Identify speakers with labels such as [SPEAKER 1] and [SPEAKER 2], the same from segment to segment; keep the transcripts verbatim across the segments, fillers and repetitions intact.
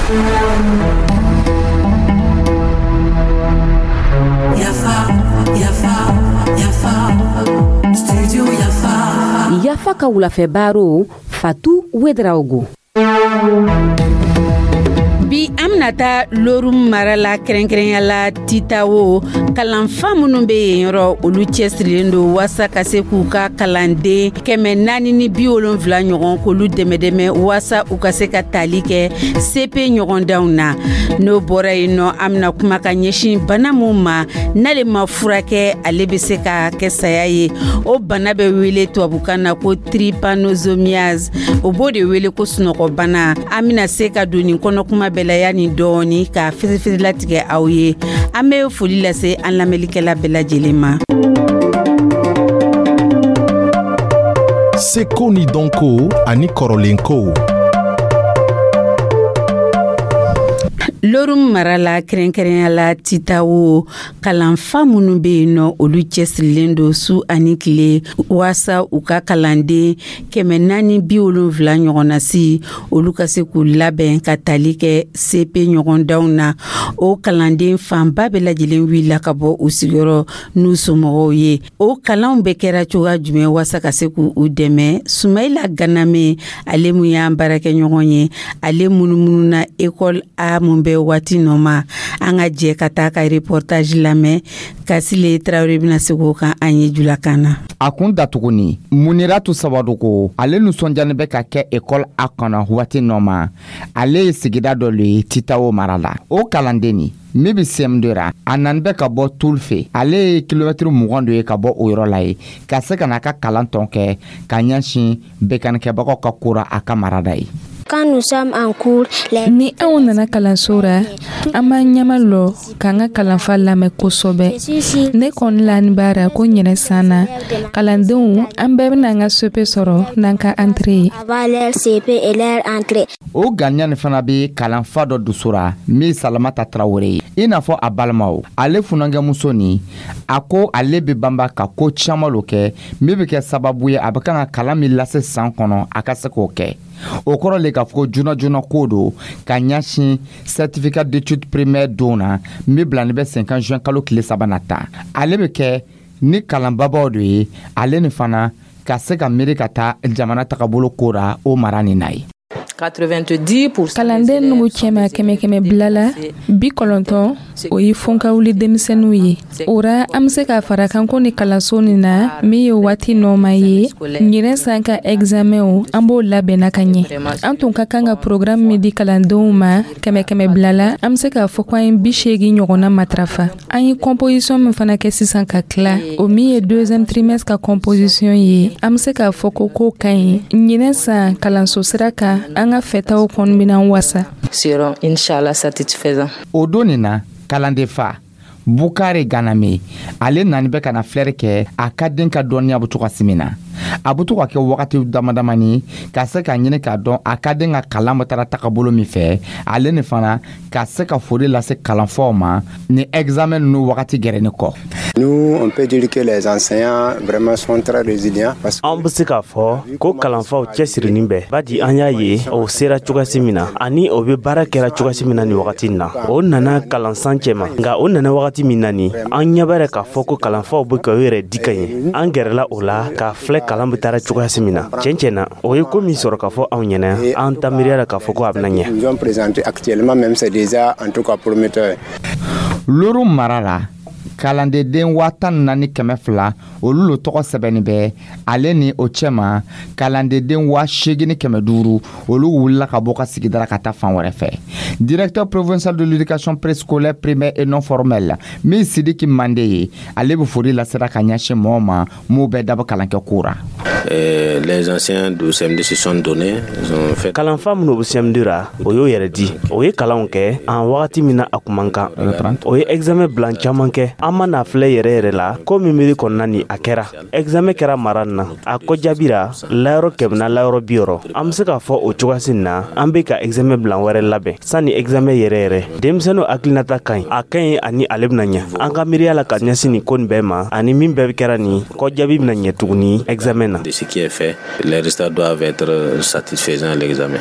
[SPEAKER 1] Yafa, Yafa, Yafa, Studio Yafa.
[SPEAKER 2] Yafa ka wulafɛ baro, Fatu Wedraogo.
[SPEAKER 3] Bi, an bɛna taa Lorum mara la, kɛrɛnkɛrɛnya la Titawo. Kalanfa minnu bɛ yen yɔrɔ, olu cɛsirilen don waasa ka se k'u ka kalanden kɛmɛ naani ni bi wolonfila ɲɔgɔn, k'olu dɛmɛ dɛmɛ waasa u ka se ka tali kɛ C P ɲɔgɔndanw na. N'o bɔra yen nɔ, an bɛna kuma ka ɲɛsin bana mun ma, n'ale ma furakɛ, ale bɛ se ka kɛ saya ye. O bana bɛ wele tubabukan na ko trypanosomiase, o b'o de wele ko sunɔgɔbana. An bɛna se ka don nin kɔnɔkuma bɛɛ la yanni dɔɔni ka firifiri latigɛ aw ye. An bɛ foli lase an lamɛnlikɛla bɛɛ lajɛlen ma.
[SPEAKER 4] Seko ni dɔnko ani kɔrɔlenkow.
[SPEAKER 3] Lorum mara la, kɛrɛnkɛrɛnya la Titawo, kalanfa minnu bɛ yen nɔ, olu cɛsirilen don su ani tile waasa u ka kalanden kɛmɛ naani bi wolonfila ɲɔgɔnna si, olu ka se k'u labɛn ka tali kɛ C P ɲɔgɔndanw na. O kalanden fanba bɛɛ lajɛlen wulila ka bɔ u sigiyɔrɔ n'u somɔgɔw ye. O kalanw bɛɛ kɛra cogoya jumɛn waasa ka se k'u dɛmɛ? Sumayila Ganame, ale mun y'an baarakɛɲɔgɔn ye, ale munumununa école A mun bɛ waati nɔ ma. An ka jɛ ka taa ka reportage lamɛn. Kasile Tarawele bɛna se k'o kan an ye julakan na.
[SPEAKER 5] A kun datuguni Muniratu Sabadogo, ale nisɔndiyani bɛ ka kɛ école A kɔnɔ waati nɔ ma. Ale ye sigida dɔ le ye Titawo mara la. O kalanden nin min bɛ C M deux ra, a nani bɛ ka bɔ Tulfe. Ale ye kilomɛtiri mugan dɔ ye ka bɔ o yɔrɔ la ye ka se ka n'a ka kalan tɔn kɛ ka ɲɛsin bekanikɛbagaw ka ko ra a ka marada ye.
[SPEAKER 6] Quand nous sommes en cours, les
[SPEAKER 7] Ni anw nana kalanso ra, an b'an ɲɛma lɔ k'an ka kalanfa lamɛn kosɛbɛ. Ne kɔni lani b'a ra ko ɲinɛ san na, kalandenw an bɛɛ bɛna an ka C P sɔrɔ n'an ka entrée ye.
[SPEAKER 6] Avoir leur C P et leur entrée.
[SPEAKER 5] O ganiya nin fana bɛ kalanfa dɔ dusu ra, min Salamata Tarawele ye, i n'a fɔ a balimaw. Ale funankɛmuso nin, a ko ale bɛ banba ka ko caman lo kɛ min bɛ kɛ sababu ye a bɛ kan ka kalan min lase san kɔnɔ, a ka se k'o kɛ. O kɔrɔ le k'a fɔ ko joona joona ko don ka ɲɛsin certificat d'études primaire don na min bilani bɛ sen kan juin kalo tile saba nata. Ale bɛ kɛ ni kalanbabaw de ye, ale ni fana ka se ka miiri ka taa jamana tagabolo ko ra o mara nin na ye.
[SPEAKER 7] Kalanden nugu cɛma, kɛmɛ kɛmɛ bila la, bi kɔnɔntɔn, o ye fɔnkawuli denmisɛnninw ye. O ra, an be se k'a fara kan ko ni kalanso nin na min ye waati nɔma ye, ɲinɛ san ka examenw, an b'o labɛnna ka ɲɛ. An tun ka kan ka programme min di kalandenw ma, kɛmɛ kɛmɛ bila la, an be se k'a fɔ ko an ye bi seegin ɲɔgɔnna matarafa. An ye composition min fana kɛ sisan ka tila, o min ye deuxième trimestre ka composition ye, an be se k'a fɔ ko ko ka ɲi. Ɲinɛ san kalanso sira kan, an ka fɛtaw kɔni bɛna wasa.
[SPEAKER 8] Seront inchallah satisfaisants.
[SPEAKER 5] O don nin na, kalanden fa Bukare Ganame, ale nani bɛ ka na filɛri kɛ a ka den ka dɔnniya bɛ to ka min na. A bɛ to ka kɛ wagati dama damani ka se ka ɲini k'a dɔn a ka den ka kalan bɛ taara tagabolo min fɛ, ale ni fana ka se ka foli lase kalanfaw ma ni examen ninnu wagati gɛrɛni kɔ.
[SPEAKER 9] Nous, on peut dire que les enseignants vraiment sont très résilients parce que
[SPEAKER 10] An be se k'a fɔ ko kalanfaw cɛsirinin bɛ badi. An y'a ye o sera cogoyasi min na ani o be baara kɛra cogoyasi min na nin wagati na, o nana kalansan cɛma. Nka o nana wagati min na ni an ɲɛ b'a k'a fɔ ko kalanfaw be ka u yɛrɛ di ka ɲɛ, an gɛrɛla o la k'a filɛ kalan be taara cogoyasi min na. Tiɲɛ tiɲɛ na, o ye ko min sɔrɔ k'a fɔ anw ɲɛna, an ta miiriya la k'a fɔ ko a bena ɲɛ.
[SPEAKER 9] Nous ont présenté actuellement même, c'est déjà en tout cas prometteur.
[SPEAKER 5] Loro mara la, kalandeden waa tan ni naani kɛmɛ fila, olu lo tɔgɔ sɛbɛnni bɛ. Ale ni o cɛma, kalandeden waa seegin ni kɛmɛ duuru, olu wulila ka bɔ ka sigida ka taa fan wɛrɛ fɛ. Directeur provincial de l'éducation préscolaire, primaire et non formelle, min Sidiki Mande ye, ale bɛ foli lasera ka ɲɛsin mɔgɔw ma m'u bɛɛ dabɔ kalankɛ ko ra.
[SPEAKER 11] Les anciens du C M deux se sont donnés. Ils ont fait
[SPEAKER 10] Kalanfa minnu bɛ C M deux ra, o y'o yɛrɛ di, o ye kalanw kɛ an wagati min na a kun man kan, o ye examen bilan caman kɛ. An ma n'a filɛ yɛrɛ yɛrɛ la, ko min miiri kɔnɔna ni a kɛra. Examen kɛra mara nin na, a ko jaabira layɔrɔ kɛmɛ na layɔrɔ bi wɔɔrɔ. An bɛ se k'a fɔ o cogoyasi na, an bɛ ka examen bilan wɛrɛ labɛn sanni examen yɛrɛ yɛrɛ. Denmisɛnninw hakilinata ka ɲi, a ka ɲi ani ale bɛna ɲɛ. An ka miiriya la ka ɲɛsin nin ko nin bɛɛ ma, ani min bɛɛ kɛra nin kɔ jaabi bɛna ɲɛ tuguni examen na.
[SPEAKER 11] De ce qui est fait, les résultats doivent être satisfaisants à l'examen.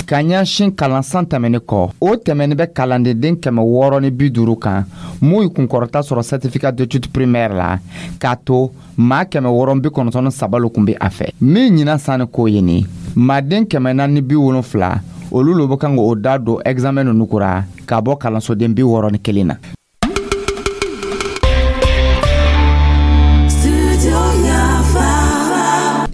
[SPEAKER 5] Ka ɲɛsin kalansan tɛmɛni kɔ, o tɛmɛni bɛ kalandenden kɛmɛ wɔɔrɔ ni bi duuru kan mun ye kunkɔrɔta sɔrɔ certificat d'études primaire la, k'a to maa kɛmɛ wɔɔrɔ bi kɔnɔntɔn ni saba lo kun bɛ a fɛ. Min ɲinan sanni ko ye nin maaden kɛmɛ naani bi wolonfila, olu lo bɛ kan k'o da don examen ninnu kura ka bɔ kalansoden bi wɔɔrɔ ni kelen na.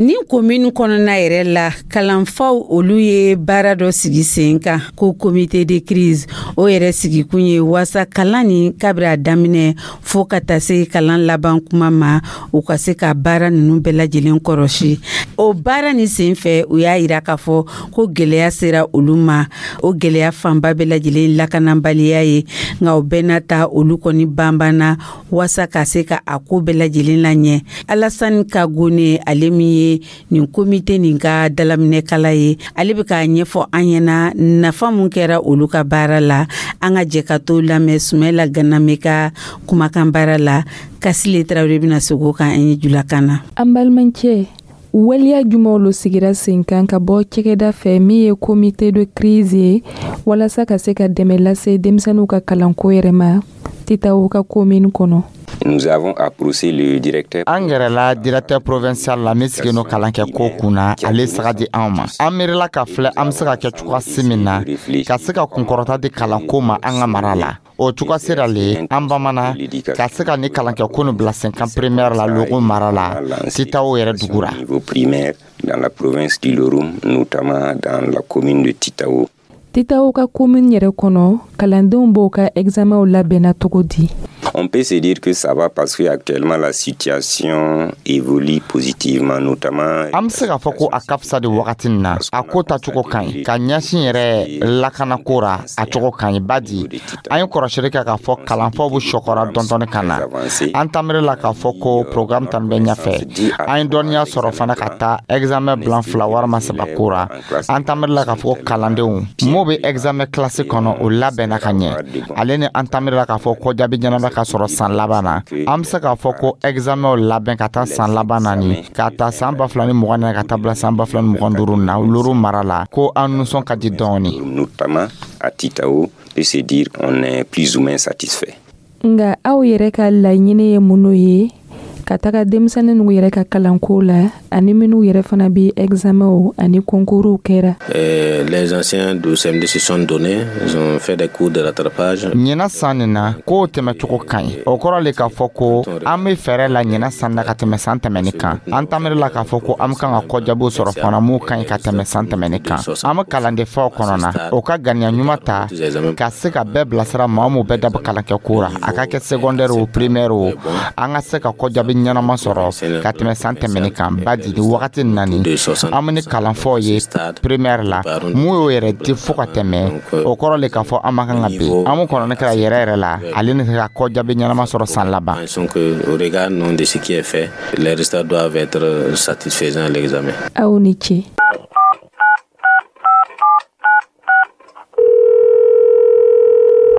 [SPEAKER 3] Ni komini kɔnɔna yɛrɛ la, kalanfaw olu ye baara dɔ sigi sen kan ko comité de crise. O yɛrɛ sigikun ye waasa kalan ni kabiri a daminɛ fɔɔ ka taa se kalan laban kuma ma, u ka se ka baara ninnu bɛɛ lajɛlen kɔrɔsi. O baara ni sen fɛ, u y'a yira k'a fɔ ko gwɛlɛya sera olu ma. O gwɛlɛya fanba bɛɛ lajɛlen lakanabaliya ye, nka o bɛɛ n'a ta, olu kɔni banbanna waasa ka se ka a ko bɛɛ lajɛlen laɲɛ. Alasani Kagone, ale min ye nin komite nin ka dalaminɛkala ye, ale bɛ k'a ɲɛfɔ an ɲɛna nafa mun kɛra olu ka baara la. An ka jɛ ka to lamɛn Sumayila Ganame ka kumakan baara la. Kasile Tarawele bɛna segin o kan an ye julakan na.
[SPEAKER 7] An balimakɛ, waleya jumɛnw lo sigira sen kan ka bɔ cɛkɛda fɛ min ye comité de crise ye, walasa ka se ka dɛmɛ lase denmisɛnninw ka kalanko yɛrɛ ma Titaw ka commune kɔnɔ?
[SPEAKER 12] Nous avons approché le directeur.
[SPEAKER 5] An gɛrɛla directeur provincial la min sigilen don kalan kɛ ko kunna, ale saga di anw ma. An miirila ka filɛ an be se ka kɛ cogoyasi min na ka se ka kunkɔrɔta di kalanko ma an ka mara la. O cogoya sera le an bamana ka se ka ni kalankɛ ko nin bila sen kan primaire la Logo mara la, Titaw yɛrɛ dugu ra.
[SPEAKER 12] Niveau primaire dans la province du Loroum, notamment dans la commune de Titao.
[SPEAKER 7] Titaw ka commune yɛrɛ kɔnɔ, kalandenw b'o ka examenw labɛnna cogo di?
[SPEAKER 12] On peut se dire que ça va parce que actuellement la situation évolue positivement, notamment.
[SPEAKER 5] An bɛ se k'a fɔ ko a ka fisa de wagati nin na. A ko tacogo ka ɲi ka ɲɛsin yɛrɛ lakanako ra, a cogo ka ɲi badi an ye kɔrɔsili kɛ k'a fɔ kalanfaw bɛ sɔkɔra dɔndɔni ka na. An tamiri la k'a fɔ ko programme tan bɛ ɲɛfɛ. An ye dɔnniya sɔrɔ fana ka taa examen bilan fila walima saba ko ra. An tamiri la k'a fɔ ko kalandenw m'o bɛ examen classe kɔnɔ, o labɛnna ka ɲɛ. Ale ni an tamiri la k'a fɔ ko jaabi ɲɛnama ka sɔrɔ san laban na. An bɛ se k'a fɔ ko examenw labɛn ka taa san laban na ni k'a ta san ba fila ni mugan na ka taa bila san ba fila ni mugan duuru na Loro mara la, ko an nisɔn ka di dɔɔni.
[SPEAKER 12] Notamment à Titao, peut se dire on est plus ou moins satisfait.
[SPEAKER 7] Nga aw yɛrɛ ka laɲini ye mun ye ka taga denmisɛnnin ninnu yɛrɛ ka kalanko la, ani minnu yɛrɛ fana bɛ examenw ani concours kɛra?
[SPEAKER 11] Les anciens du C M D se sont donnés, ils ont fait des cours de rattrapage.
[SPEAKER 5] Ɲinan san nin na, kow tɛmɛcogo ka ɲi. O kɔrɔ le k'a fɔ ko an bɛ fɛɛrɛ la ɲinan san na ka tɛmɛ san tɛmɛni kan. An tamiri la k'a fɔ ko an bɛ kan ka kɔjaabiw sɔrɔ fana mun ka ɲi ka tɛmɛ san tɛmɛni kan. An bɛ kalandenfaw kɔnɔ na, o ka ganiya ɲuman ta ka se ka bɛɛ bilasira. Maa mun bɛɛ dabɔ kalankɛ ko ra, a ka kɛ secondaire o, primaire o, an ka se ka kɔjaabi ɲɛnama sɔrɔ ka tɛmɛ san tɛmɛni kan. Badi ni wagati nin na ni an bɛ ni kalanfaw ye primaire la, mun y'o yɛrɛ di fo ka tɛmɛ, o kɔrɔ le k'a fɔ an ma kan ka bin. An mun kɔnɔni kɛra yɛrɛ yɛrɛ la, ale ni ka kɔjaabi ɲɛnama sɔrɔ san laban.
[SPEAKER 11] Au regard non de ce qui est fait, les résultats doivent être satisfaisants à l'examen.
[SPEAKER 7] Aw ni ce.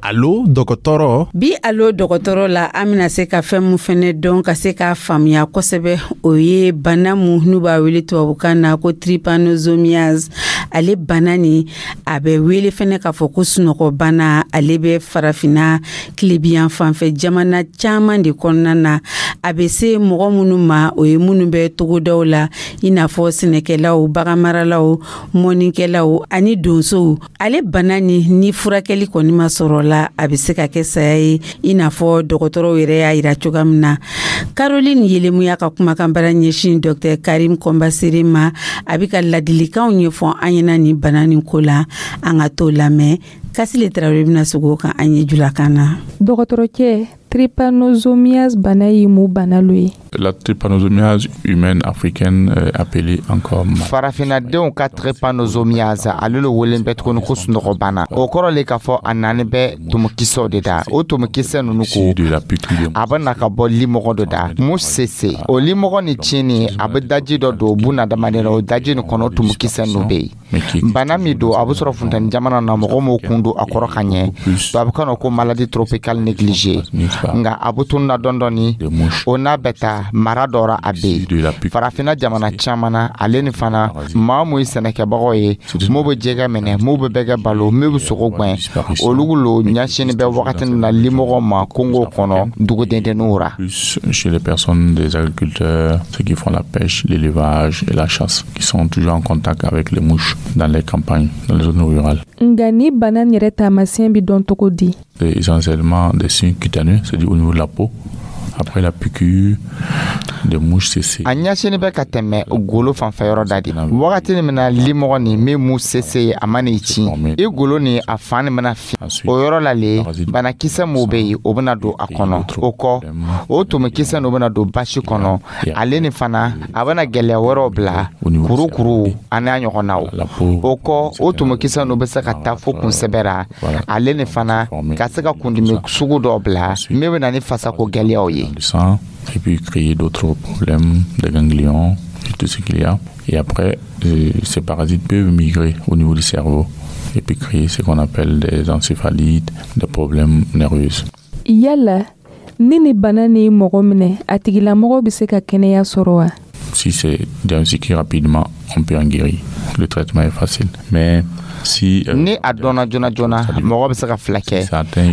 [SPEAKER 4] Alo dɔgɔtɔrɔ.
[SPEAKER 3] Bi alo dɔgɔtɔrɔ la, an bɛna se ka fɛn mun fɛnɛ dɔn ka se k'a faamuya kosɛbɛ, o ye bana mun n'u b'a wele tubabukan na ko trypanosomiase. Ale bana nin, a bɛ wele fɛnɛ k'a fɔ ko sunɔgɔbana. Ale bɛ farafinna tilebiyan fanfɛ jamana caman de kɔnɔna na. A bɛ se mɔgɔ minnu ma, o ye minnu bɛ togodaw la, i n'a fɔ sɛnɛkɛlaw, baganmaralaw, mɔnikɛlaw ani donsow. Ale bana nin, ni furakɛli kɔni ma sɔrɔ la, a bɛ se ka kɛ saya ye, i n'a fɔ dɔgɔtɔrɔw yɛrɛ y'a yira cogoya min na. Caroline Yelemuya ka kumakan bara ɲɛsin Docteur Karim Kɔnbasere ma, a bɛ ka ladilikanw ɲɛfɔ an ɲɛna nin bana nin ko la. An ka t'o lamɛn. Kasile Tarawele bɛna segin o kan an ye julakan na.
[SPEAKER 7] Dɔgɔtɔrɔcɛ, Trypanosomiase bana ye mun bana lo ye?
[SPEAKER 13] La trypanosomiase humaine africaine euh, appelée encore
[SPEAKER 5] Farafinadenw ka trypanosomiase, ale lo welen bɛ tuguni ko sunɔgɔbana. O kɔrɔ le k'a fɔ a nani bɛ tumukisɛw de da. O tumukisɛ nunu ko a bɛ na ka bɔ limɔgɔ dɔ da mu sese. O limɔgɔ ni tiɲɛni, a bɛ daji dɔ don bunadamaden na. O daji nin kɔnɔ, tumukisɛ ninnu bɛ yen. Bana min don, a bɛ sɔrɔ funteni jamana na. Mɔgɔ m'o kun don a kɔrɔ ka ɲɛ, tubabukan na ko maladie tropicale négligée. Nka a bɛ tununa dɔɔni dɔɔni. O n'a bɛ taa mara dɔ ra, a bɛ yen farafinna jamana caman na. Ale ni fana, maa mun ye sɛnɛkɛbagaw ye, mun bɛ jɛgɛ minɛ, mun bɛ bɛgɛ balo, min bɛ sogo gwɛn, olu lo ɲɛsinni bɛ wagati min na limɔgɔw ma kungo kɔnɔ, dugudendenninw ra.
[SPEAKER 13] Chez les personnes des agriculteurs, ceux qui font la pêche, l'élevage et la chasse, qui sont toujours en contact avec les mouches dans les campagnes, dans les zones rurales.
[SPEAKER 7] Nka ni bana nin yɛrɛ taamasiyɛn bɛ dɔn cogo di?
[SPEAKER 13] C'est essentiellement des signes cutanés, c'est-à-dire au niveau de la peau. Après la piqûre des mouches tsetse.
[SPEAKER 5] A ɲɛsinni bɛ ka tɛmɛ golo fanfɛ yɔrɔ da de. Wagati min na limɔgɔ nin min mu sese ye, a mana i ci i golo ni a fan nin bɛna fi, o yɔrɔ la le banakisɛ mun bɛ yen, o bɛna don a kɔnɔ. O kɔ, o tumukisɛ ninnu bɛna don basi kɔnɔ. Ale ni fana, a bɛna gɛlɛya wɛrɛw bila, kurukuru ani a ɲɔgɔnnaw. O kɔ, o tumukisɛ ninnu bɛ se ka taa fo kunsɛbɛ ra. Ale ni fana ka se ka kundimi sugu dɔw bila min bɛ na ni fasako gɛlɛyaw ye.
[SPEAKER 13] Du sang et puis créer d'autres problèmes, des ganglions et tout ce qu'il y a. Et après, euh, ces parasites peuvent migrer au niveau du cerveau et puis créer ce qu'on appelle des encéphalites, des problèmes nerveux.
[SPEAKER 7] Yala ni ni bana ni mɔgɔ minɛ, a tigilamɔgɔ bɛ se ka kɛnɛya sɔrɔ wa?
[SPEAKER 13] Si c'est diagnostiqué rapidement, on peut en guérir. Le traitement est facile. Mais si
[SPEAKER 5] euh, ni a dɔnna joona joona, mɔgɔ bɛ se ka fila kɛ.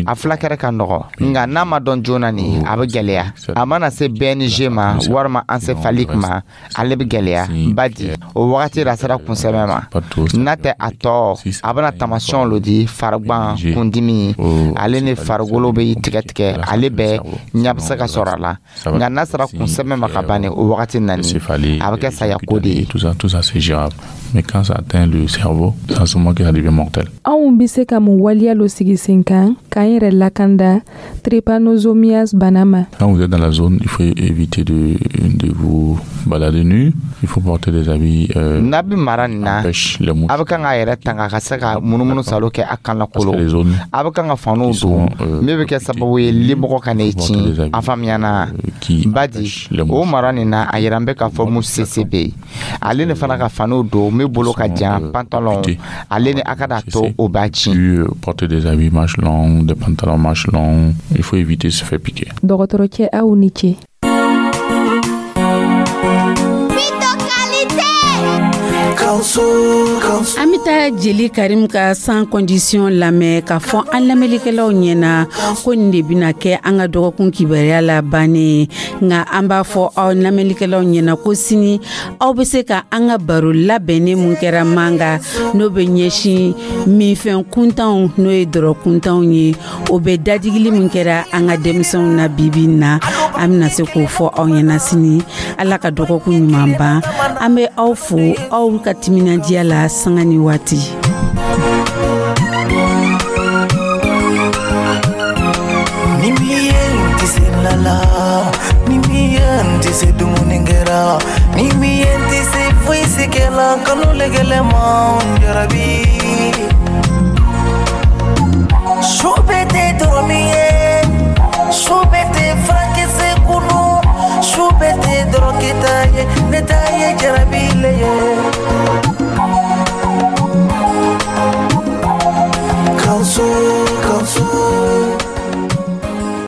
[SPEAKER 5] A fulakɛrɛ ka nɔgɔ. Nka n'a ma dɔn joona ni, a bɛ gɛlɛya. A mana se B N G ma walima encéphalique ma, ale bɛ gɛlɛya badi. O wagati la, a sera kunsɛmɛ ma. N'a tɛ a tɔ, a bɛna tamasiyɛnw lo di: farigban, kundimi, ale ni farikolo bɛ tigɛ tigɛ. Ale bɛɛ ɲɛ bɛ se ka sɔrɔ a la. Nka n'a sera kunsɛmɛ ma ka ban, o wagati nani, a bɛ kɛ saya ko de ye.
[SPEAKER 13] Tout ça, tout ça, c'est gérable. Mais quand ça atteint le cerveau, c'est à ce moment que ça devient mortel.
[SPEAKER 7] Anw bɛ se ka mun waleya lo sigi sen kan k'an yɛrɛ lakanda trypanosomiase bana ma?
[SPEAKER 13] Quand vous êtes dans la zone, il faut éviter de, de vous balader nu. Il faut porter des habits euh,
[SPEAKER 5] N'a bɛ mara nin na, a bɛ kan k'a yɛrɛ tanga ka se ka munumunu salo kɛ a kan lakolo. A bɛ kan ka faniw don min bɛ kɛ sababu ye limɔgɔ ka n'i ci. A faamuyana badi. O mara nin na, a yira n bɛ k'a fɔ mu sese bɛ yen. Ale ni fana, ka faniw don min bolo ka jan, pantalon, ale ni a ka n'a to o b'a ci.
[SPEAKER 13] Porter des habits manches longues, des pantalons manches longues. Il faut éviter de se faire piquer.
[SPEAKER 7] Dɔgɔtɔrɔcɛ, aw ni ce.
[SPEAKER 1] Bito qualité.
[SPEAKER 3] An bɛ taa Jeli Karim ka Sans condition lamɛn ka fɔ an lamɛnlikɛlaw ɲɛna ko nin de bɛna kɛ an ka dɔgɔkun kibaruya la bannen. Nka an b'a fɔ aw lamɛnlikɛlaw ɲɛna ko sini, aw bɛ se ka an ka baro labɛnnen mun kɛra Manga, n'o bɛ ɲɛsin minfɛn kuntanw, n'o ye dɔrɔ kuntanw ye, o bɛ dadigili min kɛra an ka denmisɛnw na bibi in na, an bɛna se k'o fɔ aw ɲɛna sini. Ala ka dɔgɔkun ɲuman ban. An bɛ aw fo aw ka timinandiya la sanga ni waati.
[SPEAKER 14] Ni min ye n tɛ se la la, ni min ye n tɛ se dumuni kɛra, ni min ye n tɛ se foyi si kɛla, kanu lɛgɛlɛ ma n jarabi. Su bɛɛ tɛ dɔrɔ min ye, su bɛɛ tɛ furakisɛ kunu, su bɛɛ tɛ dɔrɔkita ye, ne ta ye jarabi le ye.